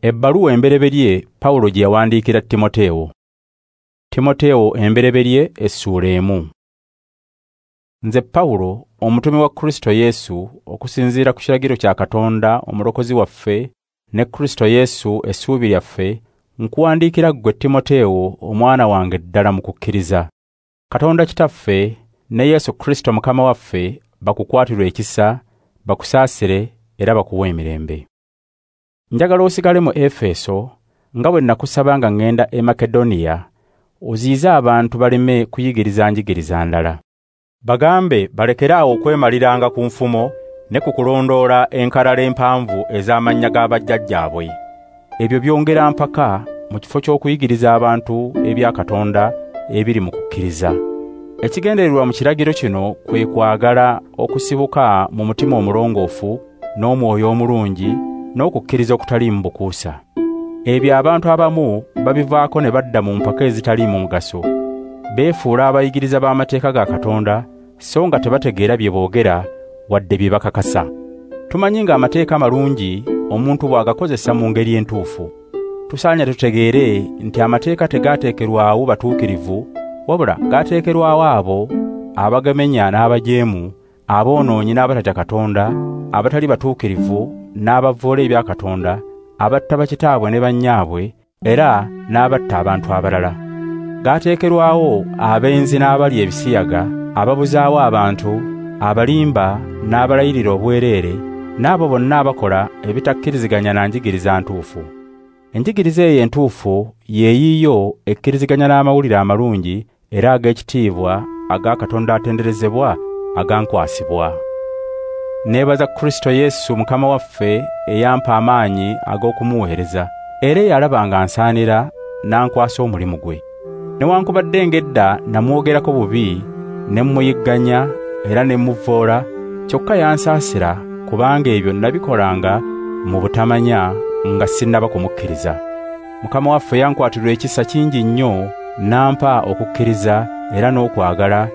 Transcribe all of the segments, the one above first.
Ebbaluwa embereberye Pawulo gye yawandiikira Timoteewo. Timoteewo embereberye essuula 1. Nze Pawulo, omutume wa Kristo Yesu, okusinziira ku kiragiro kya Katonda omulokozi waffe ne Kristo Yesu essuubi lyaffe, nkuwandiikira ggwe Timoteewo omwana wange ddala mu kukkiriza. Katonda Kitaffe ne Yesu Kristo Mukama waffe bakukwatirwe ekisa, bakusaasire era bakuwe emirembe. Njagala osigale mu Efeso nga bwe nakusaba nga ŋŋenda e Makedoniya, oziyize abantu baleme kuyigiriza njigiriza ndala. Bagambe balekere awo okwemaliranga ku nfumo ne ku kulondoola enkalala empanvu ez'amannya g'abajjajjaabwe. Ebyo byongera mpaka mu kifo ky'okuyigiriza abantu ebya Katonda ebiri mu kukkiriza. Ekigendererwa mu kiragiro kino kwe kwagala okusibuka mu mutima omulongoofu n'omwoyo omulungi n'okukkiriza okutaliimu bukuusa. Ebyo abantu abamu babivaako ne badda mu mpaka ezitaliimu mugaso. Beefuula abayigiriza b'amateeka ga Katonda so nga tebategeera bye boogera wadde bye bakakasa. Tumanyi ng'amateeka malungi omuntu bw'agakozesa mu ngeri entuufu. Tusaanye tutegeere nti amateeka tegaateekerwawo batuukirivu, wabula gaateekerwawo abo abagamenya n'abajeemu, aboonoonyi n'abatatya Katonda, abatali batuukirivu n'abavvoola ebya Katonda, abatta bakitaabwe ne bannyaabwe, era n'abatta abantu abalala. Gaateekerwawo abenzi n'abalya ebisiyaga, ababuzaawo abantu, abalimba n'abalayirira obwereere, n'abo bonna abakola ebitakkiriziganya na njigiriza ntuufu. Enjigiriza eyo entuufu ye yiiyo ekkiriziganya n'amawulire amalungi era ag'ekitiibwa aga Katonda atenderezebwa agankwasibwa. Neebaza Kristo Yesu Mukama waffe eyampa amaanyi ag'okumuweereza, era eyalaba nga nsaanira n'ankwasa omulimu gwe. Newankubadde ng'edda namwogerako bubi, ne mmuyigganya era ne mmuvvoola, kyokka yansaasira kubanga ebyo nabikolanga mu butamanya nga sinnaba kumukkiriza. Mukama waffe yankwatirwa ekisa kingi nnyo n'ampa okukkiriza era n'okwagala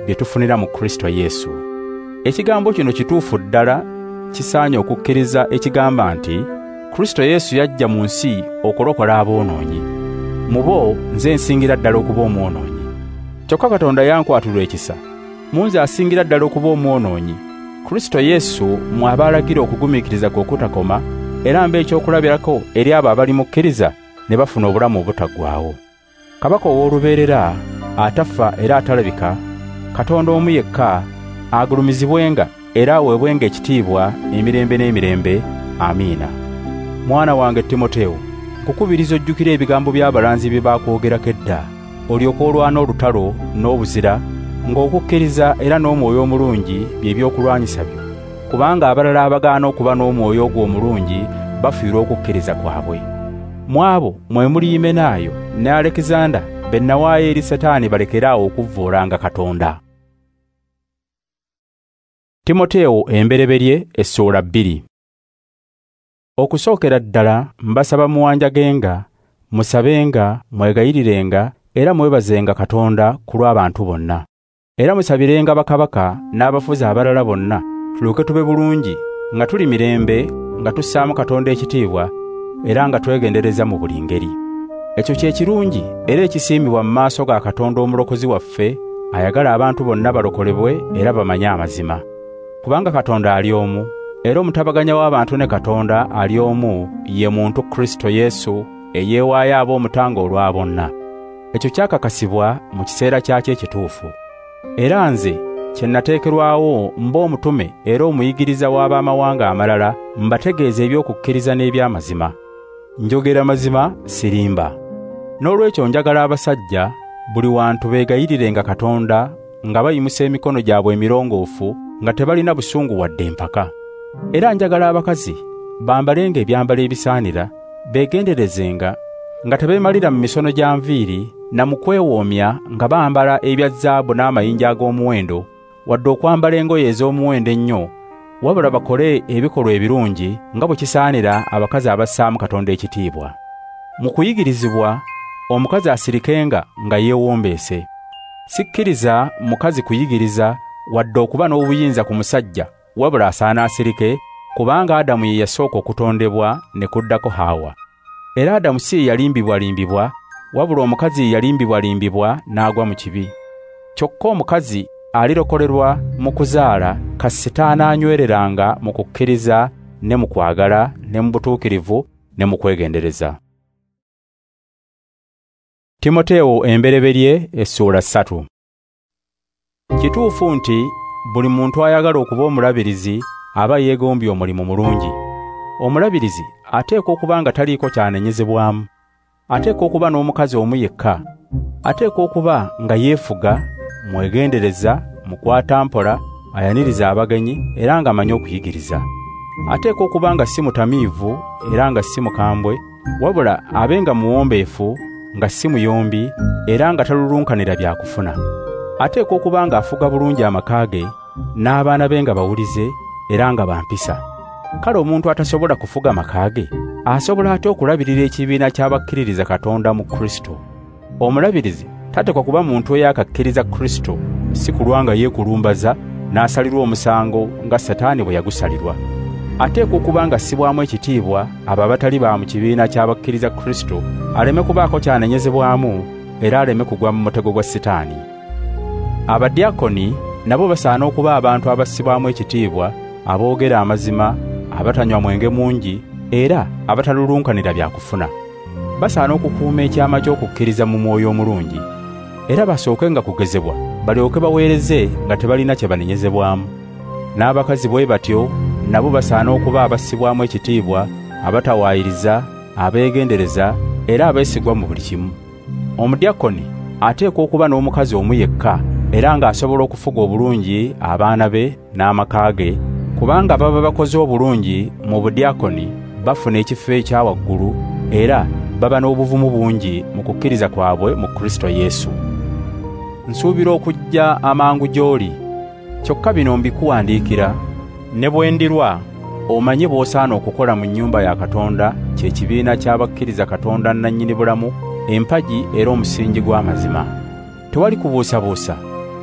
bye tufunira mu Kristo Yesu. Ekigambo kino kituufu ddala, kisaanye okukkiriza ekigamba nti Kristo Yesu yajja mu nsi okulokola aboonoonyi. Mu bo nze nsingira ddala okuba omwonoonyi. Kyokka Katonda yankwatirwa ekisa, mu nze asingira ddala okuba omwonoonyi. Kristo Yesu mw'aba alagira okugumiikiriza kwe okutakoma, era mbe ekyokulabirako eri abo abalimukkiriza ne bafuna obulamu obutaggwaawo. Kabaka ow'olubeerera, atafa era atalabika, Katonda omu yekka, agulumizibwenga era aweebwenga ekitiibwa emirembe n'emirembe. Amiina. Mwana wange Timoteewo, nkukubiriza ojjukire ebigambo by'abalanzi bye baakwogerako edda, olyoke olwana olutalo n'obuzira, ng'okukkiriza era n'omwoyo omulungi bye by'okulwanyisa byo, kubanga abalala abagaana okuba n'omwoyo ogwo omulungi bafiirwa okukkiriza kwabwe. Mu abo mwe muli Yimenaayo ne Alekizanda be nawaayo eri Setaani balekere awo okuvvoolanga Katonda. Timoteewo embereberye essuula 2. Okusookera ddala mbasaba muwanjagenga, musabenga, mwegayirirenga era mwebazenga Katonda ku lw'abantu bonna. Era musabirenga bakabaka n'abafuzi abalala bonna, tulyoke tube bulungi nga tuli mirembe, nga tussaamu Katonda ekitiibwa era nga twegendereza mu buli ngeri. Ekyo kye kirungi era ekisiimibwa mu maaso ga Katonda omulokozi waffe, ayagala abantu bonna balokolebwe era bamanye amazima. Kubanga Katonda ali omu, era omutabaganya w'abantu ne Katonda ali omu, ye muntu Kristo Yesu eyeewaayo ab'omutango olwa bonna. Ekyo kyakakasibwa mu kiseera kyakyo ekituufu. Era nze kye nateekerwawo mba omutume era omuyigiriza w'abamawanga amalala, mbategeeza eby'okukkiriza n'eby'amazima. Njogera mazima, sirimba. N'olwekyo njagala abasajja buli wantu beegayirirenga Katonda nga bayimusa emikono gyabwe emirongoofu, nga tebalina busungu wadde empaka. Era njagala abakazi bambalenga ebyambalo ebisaanira, beegenderezenga nga tebeemalira mu misono gya nviiri na mu kwewoomya nga bambala ebya zaabu n'amayinja ag'omuwendo, wadde okwambala engoye ez'omuwendo ennyo, wabula bakole ebikolwa ebirungi nga bwe kisaanira abakazi abassaamu Katonda ekitiibwa. Mu kuyigirizibwa omukazi asirikenga nga yeewombeese. Sikkiriza mukazi kuyigiriza wadde okuba n'obuyinza ku musajja, wabula asaana asirike, kubanga Adamu ye yasooka okutondebwa ne kuddako Hawa. Era Adamu si ye yalimbibwalimbibwa, wabula omukazi ye yalimbibwalimbibwa n'agwa mu kibi. Kyokka omukazi alirokolerwa mu kuzaala kasita anaanywereranga mu kukkiriza ne mu kwagala ne mu butuukirivu ne mu kwegendereza. Timoteewo embereberye essuula 3. Kituufu nti buli muntu ayagala okuba omulabirizi aba yeegombye omulimu mulungi. Omulabirizi ateekwa okuba nga taliiko kyanenyezebwamu, ateekwa okuba n'omukazi omu yekka, ateekwa okuba nga yeefuga, mwegendereza, mukwatampola, ayaniriza abagenyi era ng'amanyi okuyigiriza. Ateekwa okuba nga si mutamiivu era nga si mukambwe, wabula abe nga muwombeefu, nga si muyombi era nga talulunkanira bya kufuna. Ateekwa okuba ng'afuga bulungi amaka ge n'abaana be nga bawulize era nga bampisa. Kale omuntu atasobola kufuga maka ge asobola atya okulabirira ekibiina ky'abakkiririza Katonda mu Kristo? Omulabirizi tateekwa kuba muntu eyakakkiriza Kristo, si kulwa nga yeekulumbaza n'asalirwa omusango nga Setaani bwe yagusalirwa. Ateekwa okuba nga assibwamu ekitiibwa abo abatali ba mu kibiina ky'abakkiriza Kristo, aleme kubaako kyanenyezebwamu era aleme kugwa mu mutego gwa Setaani. Abadiakoni nabo basaana okuba abantu abassibwamu ekitiibwa, aboogera amazima, abatanywa mwenge mungi era abatalulunkanira bya kufuna. Basaana okukuuma ekyama ky'okukkiriza mu mwoyo omulungi, era basooke nga kugezebwa balyoke baweereze nga tebalina kye banenyezebwamu. N'abakazi bwe batyo nabo basaana okuba abassibwamu ekitiibwa, abatawaayiriza, abeegendereza era abeesigwa mu buli kimu. Omudiakoni ateekwa okuba n'omukazi omu yekka era ng'asobola okufuga obulungi abaana be n'amaka ge, kubanga baba bakoze obulungi mu budiakoni bafuna ekifo ekya waggulu era baba n'obuvumu bungi mu kukkiriza kwabwe mu Kristo Yesu. Nsuubira okujja amangu gy'oli, kyokka bino mbikuwandiikira ne bwe ndirwa omanye bw'osaana okukola mu nnyumba ya Katonda, kye kibiina ky'abakkiriza Katonda nnannyini bulamu, empagi era omusingi gw'amazima. Tewali kubuusabuusa,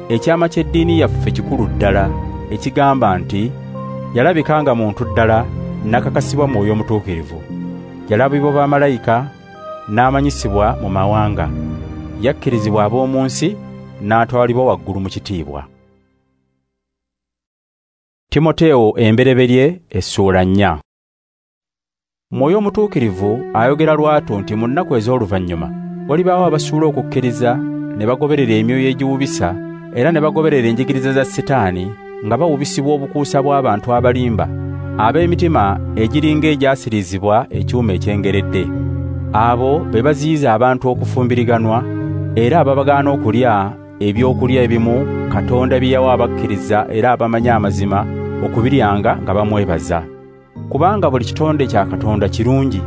ekyama ky'eddiini yaffe kikulu ddala, ekigamba nti yalabika nga muntu ddala n'akakasibwa Mwoyo Mutuukirivu, yalabibwa bamalayika n'amanyisibwa mu mawanga, yakkirizibwa ab'omu nsi n'atwalibwa waggulu mu kitiibwa. Timoteewo embereberye essuula 4. Mwoyo Mutuukirivu ayogera lwatu nti mu nnaku ez'oluvannyuma walibaawo abasuula okukkiriza ne bagoberera emyoyo egiwubisa era ne bagoberera enjigiriza za Setaani, nga bawubisibwa obukuusa bw'abantu abalimba ab'emitima egiringa egyasirizibwa ekyuma ekyengeredde. Abo be baziyiza abantu okufumbiriganwa era ababagaana okulya ebyokulya ebimu Katonda bye yawa abakkiriza era abamanyi amazima okubiryanga nga bamwebaza. Kubanga buli kitonde kya Katonda kirungi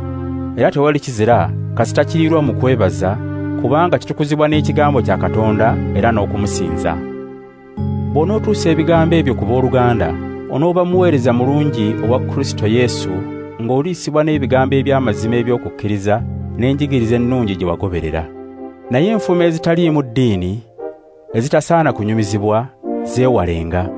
era tewali kizira kasita kirirwa mu kwebaza, kubanga kitukuzibwa n'ekigambo kya Katonda era n'okumusinza. Bw'onootuusa ebigambo ebyo ku booluganda, onooba muweereza mulungi owa Kristo Yesu, ng'oliisibwa n'ebigambo eby'amazima eby'okukkiriza n'enjigiriza ennungi gye wagoberera. Naye enfumo ezitaliimu ddiini ezitasaana kunyumizibwa zeewalenga.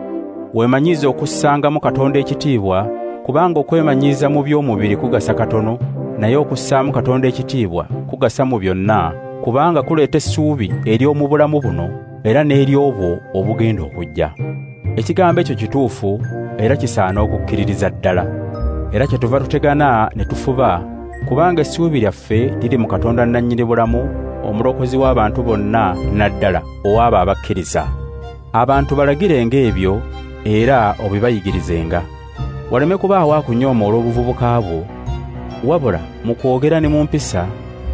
Weemanyiize okussangamu Katonda ekitiibwa, kubanga okwemanyiiza mu by'omubiri kugasa katono, naye okussaamu Katonda ekitiibwa kugasa mu byonna, kubanga kuleeta essuubi ery'omu bulamu buno era n'ery'obwo obugenda okujja. Ekigambo ekyo kituufu era kisaana okukkiririza ddala. Era kyetuva tutegana ne tufuba, kubanga essuubi lyaffe liri mu Katonda nnannyini bulamu, omulokozi w'abantu bonna naddala ow'abo abakkiriza. Abantu balagirenga ebyo era obibayigirizenga. Waleme kubaawo akunyooma olw'obuvubuka bwo, wabula mu kwogera ne mu mpisa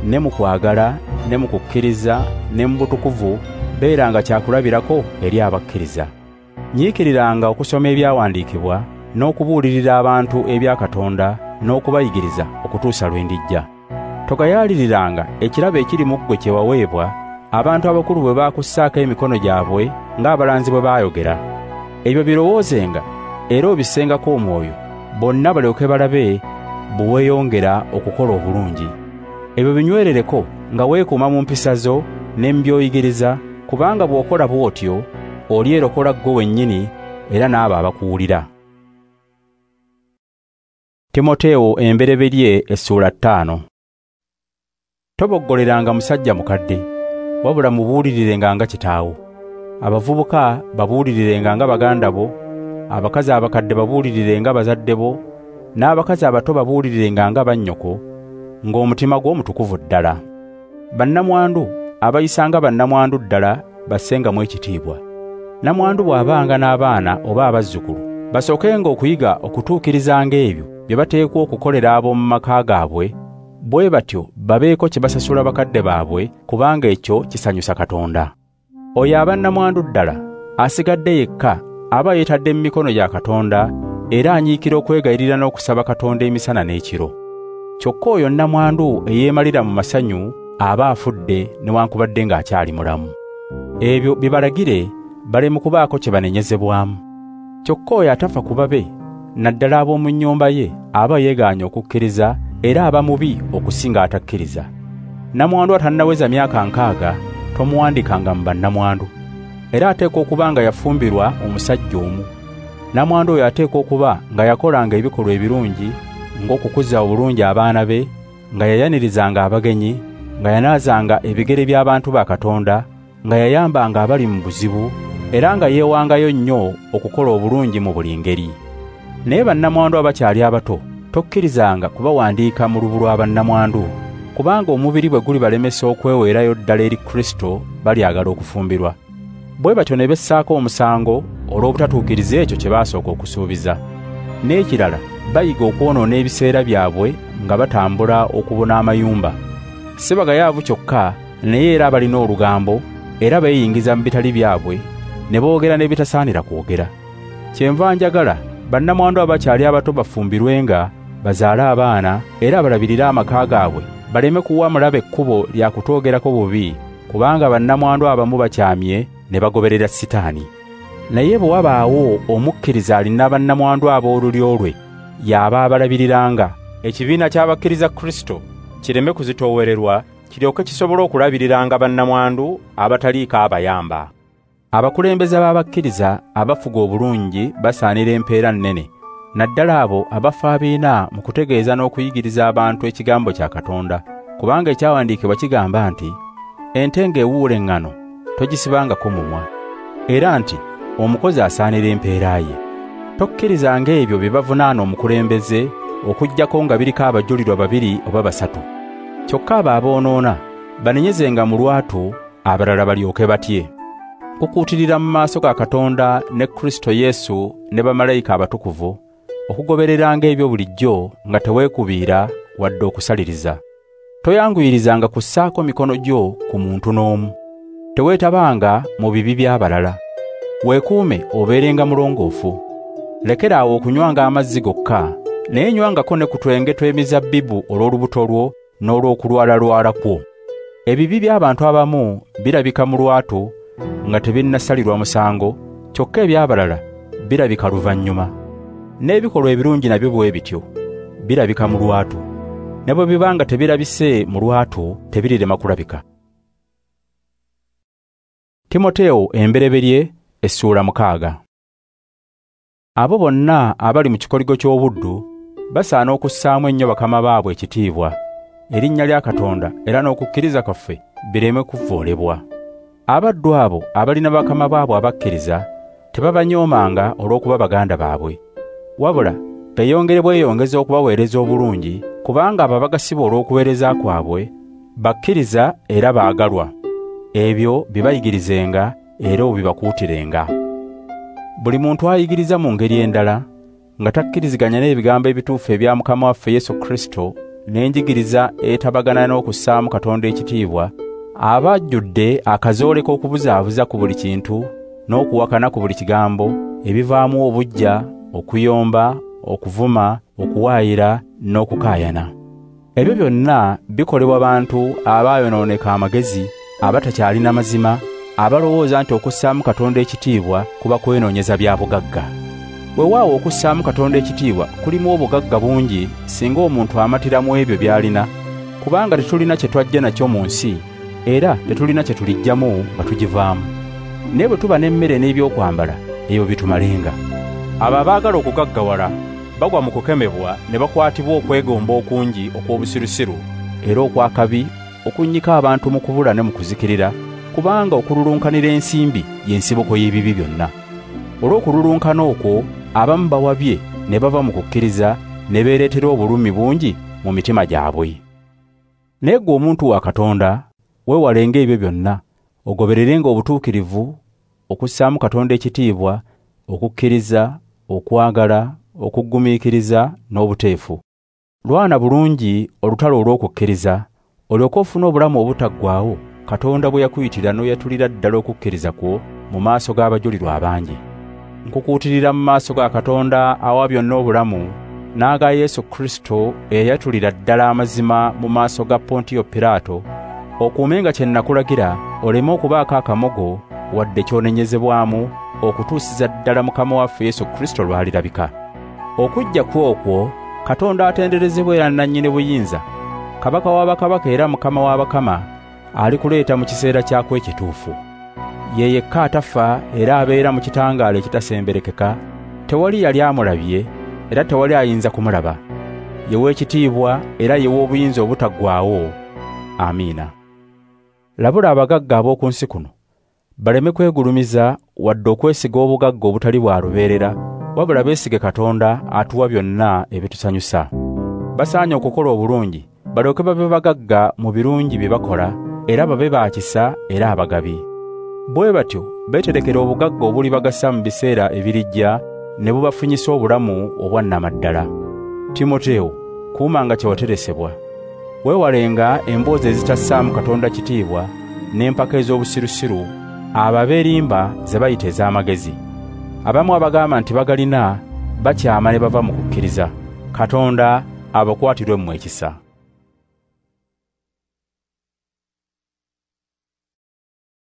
ne mu kwagala ne mu kukkiriza ne mu butukuvu beeranga kyakulabirako eri abakkiriza. Nyiikiriranga okusoma ebyawandiikibwa n'okubuulirira abantu ebya Katonda n'okubayigiriza okutuusa lwe ndijja. Togayaaliriranga ekirabo ekiri mu ggwe kye waweebwa abantu abakulu bwe baakussaako emikono gyabwe ng'abalanzi bwe baayogera. Ebyo birowoozenga era obissengako omwoyo, bonna balyoke balabe bwe weeyongera okukola obulungi. Ebyo binywerereko nga weekuuma mu mpisa zo ne mu by'oyigiriza, kubanga bw'okola bw'otyo olyerokola ggwe wennyini era n'abo abakuwulira. Timoteewo embereberye essuula 5. Toboggoleranga musajja mukadde, wabula mubuulirirenga nga kitaawo. Abavubuka babuulirirenga nga baganda bo, abakazi abakadde babuulirirenga bazadde bo, n'abakazi abato babuulirirenga nga bannyoko, ng'omutima gwo mutukuvu ddala. Bannamwandu abayisanga bannamwandu ddala bassengamu ekitiibwa. Namwandu bw'abanga n'abaana oba abazzukulu, basookenga okuyiga okutuukirizanga ebyo bye bateekwa okukolera ab'omu maka gaabwe, bwe batyo babeeko kye basasula bakadde baabwe, kubanga ekyo kisanyusa Katonda. Oyo aba nnamwandu ddala asigadde yekka aba yeetadde mu mikono gya Katonda era anyiikira okwegayirira n'okusaba Katonda emisana n'ekiro. Kyokka oyo nnamwandu eyeemalira mu masanyu aba afudde newankubadde ng'akyali mulamu. Ebyo bibalagire baleme kubaako kye banenyezebwamu. Kyokka oyo atafa ku babe, naddala ab'omu nnyumba ye, aba yeegaanye okukkiriza era aba mubi okusinga atakkiriza. Nnamwandu atannaweza myaka 60 tomuwandikanga mu bannamwandu. Era ateekwa okuba nga yafumbirwa omusajja omu. Nnamwandu oyo ateekwa okuba nga yakolanga ebikolwa ebirungi, ng'okukuza obulungi abaana be, nga yayanirizanga abagenyi, nga yanaazanga ebigere by'abantu ba Katonda, nga yayambanga abali mu buzibu, era nga yeewangayo nnyo okukola obulungi mu buli ngeri. Naye bannamwandu abakyali abato tokkirizanga kubawandiika mu lubu lwa bannamwandu, kubanga omubiri bwe gulibalemesa okweweerayo ddala eri Kristo balyagala okufumbirwa. Bwe batyo ne bessaako omusango olw'obutatuukiriza ekyo kye baasooka okusuubiza. N'ekirala bayiga okwonoona ebiseera byabwe nga batambula okubona amayumba. Si bagayaavu kyokka, naye era abalina olugambo, era beeyingiza mu bitali byabwe ne boogera n'ebitasaanira kwogera. Kyenva njagala bannamwandu abakyali abato bafumbirwenga, bazaale abaana era balabirire amaka gaabwe, baleme kuwa mulabe ekkubo lya kutwogerako bubi, kubanga bannamwandu abamu bakyamye ne bagoberera Sitaani. Naye bwe wabaawo omukkiriza alina bannamwandu ab'olulyo lwe, y'aba abalabiriranga, ekibiina ky'abakkiriza Kristo kireme kuzitoowererwa, kiryoke kisobole okulabiriranga bannamwandu abataliiko abayamba. Abakulembeze b'abakkiriza abafuga obulungi basaanira empeera nnene, naddala abo abafaabiina mu kutegeeza n'okuyigiriza abantu ekigambo kya Katonda, kubanga ekyawandiikibwa kigamba nti, ente ng'ewuula eŋŋano togisibangako mumwa, era nti omukozi asaanira empeera ye. Tokkirizanga ebyo bye bavunaana omukulembeze okuggyako nga biriko abajulirwa 2 oba 3. Kyokka abo aboonoona banenyezenga mu lwatu, abalala balyoke batye. Nkukuutirira mu maaso ga Katonda ne Kristo Yesu ne bamalayika abatukuvu okugobereranga ebyo bulijjo nga teweekubiira wadde okusaliriza. Toyanguyirizanga kussaako mikono gyo ku muntu n'omu. Teweetabanga mu bibi by'abalala. Weekuume obeerenga mulongoofu. Lekera awo okunywanga amazzi gokka, naye nywangako ne ku twenge tw'emizabbibu olw'olubuto lwo n'olw'okulwalalwala kwo. Ebibi by'abantu abamu birabika mu lwatu nga tebinnasalirwa musango, kyokka eby'abalala birabika luvannyuma. N'ebikolwa ebirungi nabyo bwe bityo birabika mu lwatu, ne bwe biba nga tebirabise mu lwatu tebirirema kulabika. Timoteewo embereberye essuula 6. Abo bonna abali mu kikoligo ky'obuddu basaana okussaamu ennyo bakama baabwe ekitiibwa, erinnya lya Katonda era n'okukkiriza kwaffe bireme kuvoolebwa. Abaddu abo abalina bakama baabwe abakkiriza tebabanyoomanga olw'okuba baganda baabwe, wabula beeyongere bweyongeza okubaweereza obulungi, kubanga abo abagasibwa olw'okuweereza kwabwe bakkiriza era baagalwa. Ebyo bibayigirizenga era obibakuutirenga. Buli muntu ayigiriza mu ngeri endala nga takkiriziganya n'ebigambo ebituufu ebya Mukama waffe Yesu Kristo n'enjigiriza etabagana n'okussaamu Katonda ekitiibwa, aba ajjudde akazoole k'okubuzaabuza ku buli kintu n'okuwakana ku buli kigambo, ebivaamu obuggya, okuyomba, okuvuma, okuwaayira n'okukaayana. Ebyo byonna bikolebwa bantu abaayonooneka amagezi, abatakyalina mazima, abalowooza nti okussaamu Katonda ekitiibwa kuba kwenoonyeza bya bugagga. Weewaawo okussaamu Katonda ekitiibwa kulimu obugagga bungi singa omuntu amatira mu ebyo by'alina, kubanga tetulina kye twajja nakyo mu nsi, era tetulina kye tuliggyamu nga tugivaamu. Naye bwe tuba n'emmere n'ebyokwambala, ebyo bitumalenga. Abo abaagala okugaggawala bagwa mu kukemebwa ne bakwatibwa okwegomba okungi okw'obusirusiru era okw'akabi okunnyika abantu mu kubula ne mu kuzikirira, kubanga okululunkanira ensimbi y'ensibuko y'ebibi byonna. Olw'okululunkana okwo abamu bawabye ne bava mu kukkiriza ne beereetera obulumi bungi mu mitima gyabwe. Naye ggwe omuntu wa Katonda, weewalenga ebyo byonna, ogobererenga obutuukirivu, okussaamu Katonda ekitiibwa, okukkiriza, okwagala, okugumiikiriza n'obuteefu. Lwana bulungi olutalo olw'okukkiriza, olyoke ofune obulamu obutaggwaawo Katonda bwe yakuyitira n'oyatulira ddala okukkiriza kwo mu maaso g'abajulirwa abangi. Nkukuutirira mu maaso ga Katonda awa byonna obulamu, n'aga Yesu Kristo eyayatulira ddala amazima mu maaso ga Pontiyo Piraato, okuumenga kye nakulagira, oleme okubaako akamogo wadde ky'onenyezebwamu okutuusiza ddala Mukama waffe Yesu Kristo lw'alirabika. Okujja kwe okwo Katonda atenderezebwa era nnannyini buyinza, Kabaka w'abakabaka era Mukama w'abakama, alikuleeta mu kiseera kyakwo ekituufu. Ye yekka atafa era abeera mu kitangaala ekitasemberekeka, tewali yali amulabye era tewali ayinza kumulaba. Ye w'ekitiibwa era ye w'obuyinza obutaggwaawo. Amiina. Labula abagagga ab'oku nsi kuno baleme kwegulumiza wadde okwesiga obugagga obutali bwa lubeerera, wabula beesige Katonda atuwa byonna ebitusanyusa. Basaanye okukola obulungi, balyoke babe bagagga mu birungi bye bakola, era babe ba kisa era abagabi. Bwe batyo beeterekera obugagga obulibagasa mu biseera ebirijja ne bubafunyisa obulamu obwannamaddala. Timoteewo, kuumanga kye wateresebwa. Weewalenga emboozi ezitassaamu Katonda kitiibwa n'empaka ez'obusirusiru ababeerimba ze bayita ez'amagezi. Abamu abagamba nti bagalina bakyama ne bava mu kukkiriza. Katonda abakwatirwe mmwe ekisa.